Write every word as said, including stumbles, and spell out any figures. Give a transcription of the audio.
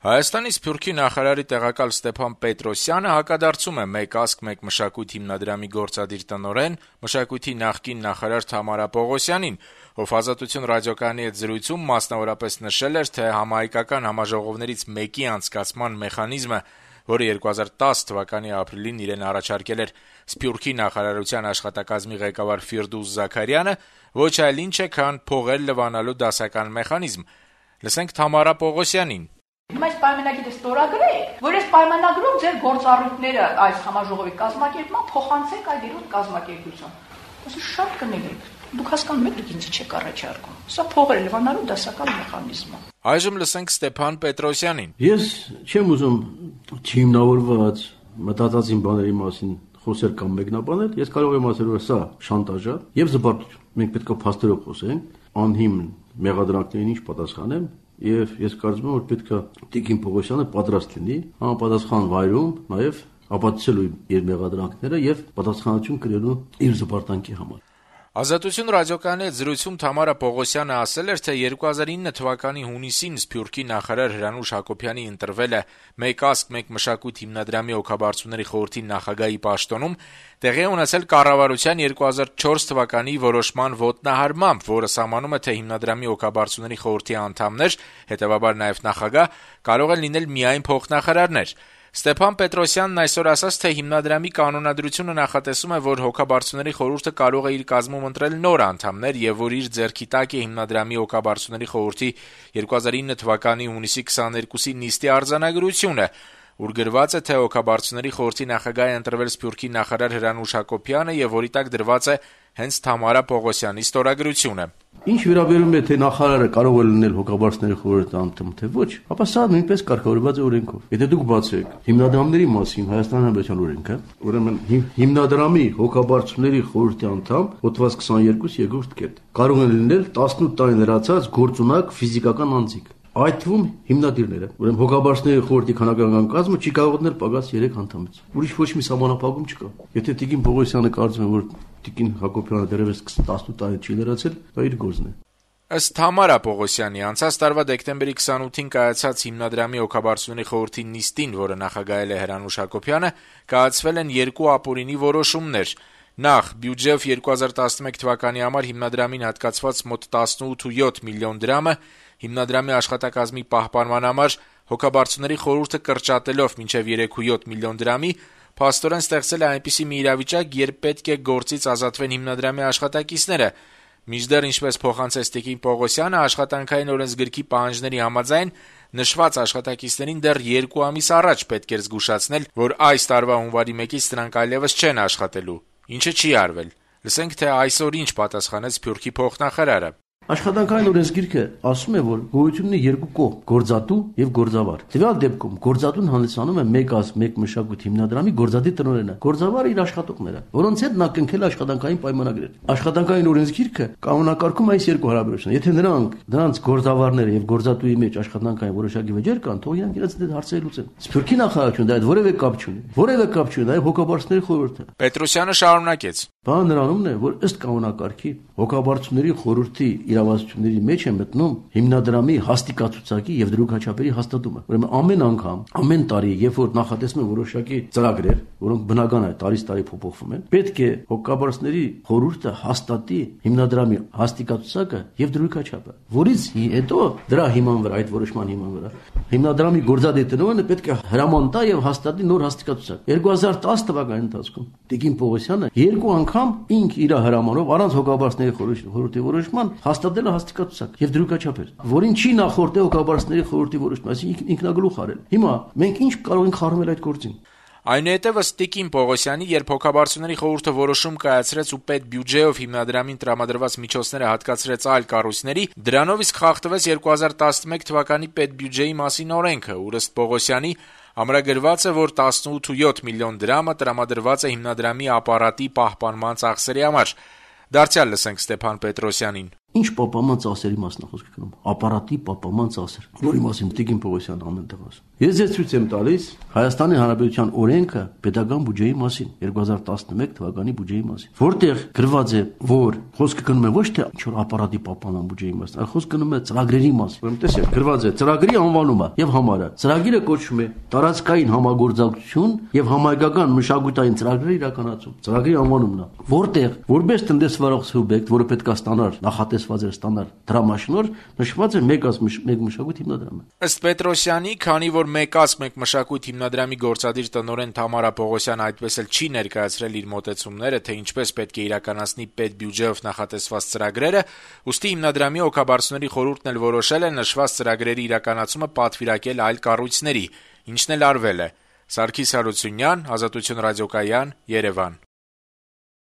Հայաստանի Սփյուռքի նախարարի տեղակալ Ստեփան Պետրոսյանը հակադարձում է «Մեկ ազգ, մեկ մշակույթ» հիմնադրամի գործադիր տնօրեն, մշակույթի նախկին նախարար Թամարա Պողոսյանին, ով «Ազատություն» ռադիոկայանի հետ զրույցում մասնավորապես նշել էր, թե համահայկական համաժողովներից մեկի անցկացման մեխանիզմը, որը երկու հազար տասը թվականի ապրիլին իրեն առաջարկել էր Սփյուռքի նախարարության աշխատակազմի ղեկավար Ֆիրդուս Զաքարյանը, ոչ այլ ինչ է, քան փողեր լվանալու դասական մեխանիզմ։ Լսենք Թամարա Պողոսյանին. Հիմա այս պայմանագիրը ստորագրեք, որ այս պայմանագրում ձեր գործառույթները այս համաժողովի կազմակերպման փոխանցեք այդ երրորդ կազմակերպության։ Այսինքն շատ կներեք։ Դուք հասկանում եք, դուք ինձ չեք առաջարկում։ Սա փողեր լվանալու դասական մեխանիզմ է։ Այժմ լսենք Ստեփան Պետրոսյանին. Ես չեմ ուզում չհիմնավորված մտածածին բաների մասին խոսել կամ մեկնաբանել, ես կարող եմ ասել, որ սա շանտաժ է եւ զբաղություն։ Մենք պետք է փաստերով խոսենք, անհիմն մեղադրանքներին ինչ պատասխանեմ, եւ ես կարծում եմ, որ պետք է Տիկին Պողոսյանը պատրաստ լինի համապատասխան վայրում նաեւ ապացուցելու իր մեղադրանքները եւ պատասխանատվություն կրելու իր զբաղտանքի համար։ Ազատություն ռադիոկայանի հետ զրույցում Թամարա Պողոսյանը ասել էր, թե երկու հազար ինը թվականի հունիսին Սփյուռքի նախարար Հրանուշ Հակոբյանի ընտրվել է «Մեկ ազգ, մեկ մշակույթ» հիմնադրամի հոգաբարձուների խորհրդի նախագահի պաշտոնում, տեղի ունեցել կառավարության երկու հազար չորս թվականի որոշման ոտնահարմամբ, որը սահմանում է, թե հիմնադրամի հոգաբարձուների խորհրդի անդամներ, հետևաբար նաև նախագահ, կարող են լինել միայն փոխնախարարներ։ Ստեփան Պետրոսյանն այսօր ասաց, թե հիմնադրամի կանոնադրությունը նախատեսում է, որ հոգաբարձուների խորհուրդը կարող է իր կազմում ընտրել նոր անդամներ եւ որ իր ձեռքի տակ է հիմնադրամի հոգաբարձուների խորհրդի երկու հազար ինը թվականի հունիսի քսաներկուսի նիստի արձանագրությունը, ուր գրված է, թե հոգաբարձուների խորհրդի նախագահ է ընտրվել Սփյուռքի նախարար Հրանուշ Հակոբյանը եւ որի տակ դրված է հենց Թամարա Պողոսյանի ստորագրությունը։ Ինչ վերաբերում է թե նախարարը կարող է լինել հոգաբարձուների խորհրդի անդամ, թե ոչ, ապա սա նույնպես կարգավորված է օրենքով։ Եթե դուք բացեք հիմնադրամների մասին Հայաստանի Հանրապետության օրենքը, ուրեմն հիմնադրամի հոգաբարձուների խորհրդի անդամ հոդված քսաներկու երկրորդ կետ կարող են լինել տասնութ տարի լրացած գործունակ ֆիզիկական անձիկ, այդ թվում հիմնադիրները։ Ուրեմն հոգաբարձուների խորհրդի քանակական կազմը չի կարող դնել պակաս երեք անդամից։ Ուրիշ ոչ մի սահմանափակում չկա։ Եթե Տիկին Պողոսյանը կարծում է, որ Տիկին Հակոբյանը դեռևս տասնութ տարի չի լրացել, դա իր գործն է։ Ըստ Թամարա Պողոսյանի, անցած տարվա դեկտեմբերի քսանութին կայացած հիմնադրամի հոգաբարձուների խորհրդի նիստին, որը նախագահել է Հրանուշ Հակոբյանը, կայացվել են երկու ապօրինի որոշումներ։ Նախ, բյուջեով երկու հազար տասնմեկ թվականի համար հիմնադրամին հատկացված մոտ տասնութ կόμμα յոթ միլիոն դրամը հիմնադրամի աշխատակազմի պահպանման համար հոգաբարձուների խորհուրդը կրճատելով մինչև երեք կόμμα յոթ միլիոն դրամի, փաստորեն ստեղծել է այնպիսի մի իրավիճակ, երբ պետք է գործից ազատվեն հիմնադրամի աշխատակիցները։ Մինչդեռ, ինչպես փոխանցեց Տիկին Պողոսյանը, աշխատանքային օրենսգրքի պահանջների համաձայն նշված աշխատակիցներին դեռ երկու ամիս առաջ պետք էր զգուշացնել, որ այս տարվա հունվարի մեկից նրանք այլևս չեն աշխատելու, ինչը չի արվել։ Լսենք, թե այսօր ինչ պատասխանեց Սփյուռքի փոխնախարարը։ Աշխատանքային օրենսգիրքը ասում է, որ գոյություն ունի երկու կողմ՝ գործատու եւ գործավար։ Տվյալ դեպքում գործատուն հանդիսանում է մեկ ազգ, մեկ մշակույթ հիմնադրամի գործադիր տնօրենը, գործավարը իր աշխատողները, որոնց հետ նա կնքել աշխատանքային պայմանագրեր։ Աշխատանքային օրենսգիրքը կանոնակարգում է այս երկու հարաբերությունը։ Եթե նրանք, նրանց գործավարները եւ գործատուի մեջ աշխատանքային որոշակի վեճեր կան, թող իրանք իրենց դեպի հարցերը լուծեն։ Սփյուռքի նախարարությունը դա որևէ կապ չունի։ Որևէ կապ չունի նաեւ հոգաբարձուների խորհուրդը։ Պետրոսյանը շարունակեց. Բանը նրանումն է, որ ըստ կանոնակարգի հոգաբարձուների խորհրդի իրավասությունների մեջ է մտնում հիմնադրամի հաստիկացուցակի եւ դրույքաչափերի հաստատումը։ Ուրեմն ամեն անգամ, ամեն տարի, երբ որ նախատեսվում է որոշակի ծրագրեր, որոնք բնական է տարից տարի փոփոխվում են, պետք է հոգաբարձուների խորհուրդը հաստատի հիմնադրամի հաստիկացուցակը եւ դրույքաչափը, որից հետո դրա հիման վրա, այդ որոշման հիման վրա հիմնադրամի գործադիր տնօրենը պետք է հրաման տա եւ հաստատի նոր հաստիկացուցակ։ երկու հազար տասը թվականի ընթացքում Տիկին Պողոսյանը երկու անգամ ինք իր հրամանով առանց հոգաբարձուների խորհրդի որոշման հաստատել է հաստիկացուցակ եւ դրույքաչափեր, որին չի նախորդել հոգաբարձուների խորհրդի որոշումը, այսինքն ինքնագլուխ արել։ Հիմա մենք ինչ կարող ենք խառնել այդ գործին։ Այնուհետև Տիկին Պողոսյանի, երբ հոգաբարձուների խորհուրդը որոշում կայացրեց ու պետ բյուջեով հիմնադրամին տրամադրված միջոցները հատկացրեց այլ կառույցների, դրանով իսկ խախտվեց երկու հազար տասնմեկ թվականի պետբյուջեի մասին օրենքը, ուր ըստ Պողոսյանի ամրագրված է, որ տասնութ կόμμα յոթ միլիոն դրամը տրամադրված է հիմնադրամի ապարատի պահպանման ծախսերի համար։ Դարձյալ լսենք Ստեփան Պետրոսյանին. Ինչ պապաման ծասերի մասն է խոսքը գնում, ապարատի պապաման ծասեր, որի մասին Տիկին Պողոսյանը ամեն տեղ ասում։ Ես ձեզ ցույց եմ տալիս Հայաստանի Հանրապետության օրենքը պետական բյուջեի մասին, երկու հազար տասնմեկ թվականի բյուջեի մասին, որտեղ գրված է, որ խոսքը գնում է ոչ թե ինչ-որ ապարատի պապանան բյուջեի մասին, այլ խոսքը գնում է ծրագրերի մասին։ Ուրեմն տեսեք, գրված է ծրագրի անվանումը եւ համարը։ Ծրագիրը կոչվում է տարածքային համագործակցություն եւ համայնքական մշակութային ծրագրերի իրականացում։ Ծրագրի անվանումն է, որտեղ որպես տնտեսվարող սուբյեկտ, որը պետք է ստանար նախատեսված էր ստանալ դրամաշնոր, նշված է մեկ ազգ մեկ մշակույթ հիմնադրամը։ Ըստ Պետրոսյանի, քանի որ մեկ ազգ մեկ մշակույթ հիմնադրամի գործադիր տնօրեն Թամարա Պողոսյանը այդպես էլ չի ներկայացրել իր մոտեցումները, թե ինչպես պետք է իրականացնի պետբյուջեով նախատեսված ծրագրերը, ուստի հիմնադրամի օգաբարձուների խորհուրդն էլ որոշել է նշված ծրագրերի իրականացումը պատվիրակել այլ կառույցների, ինչն էլ արվել է։ Սարգիս Հարությունյան, Ազատություն ռադիոկայան, Երևան։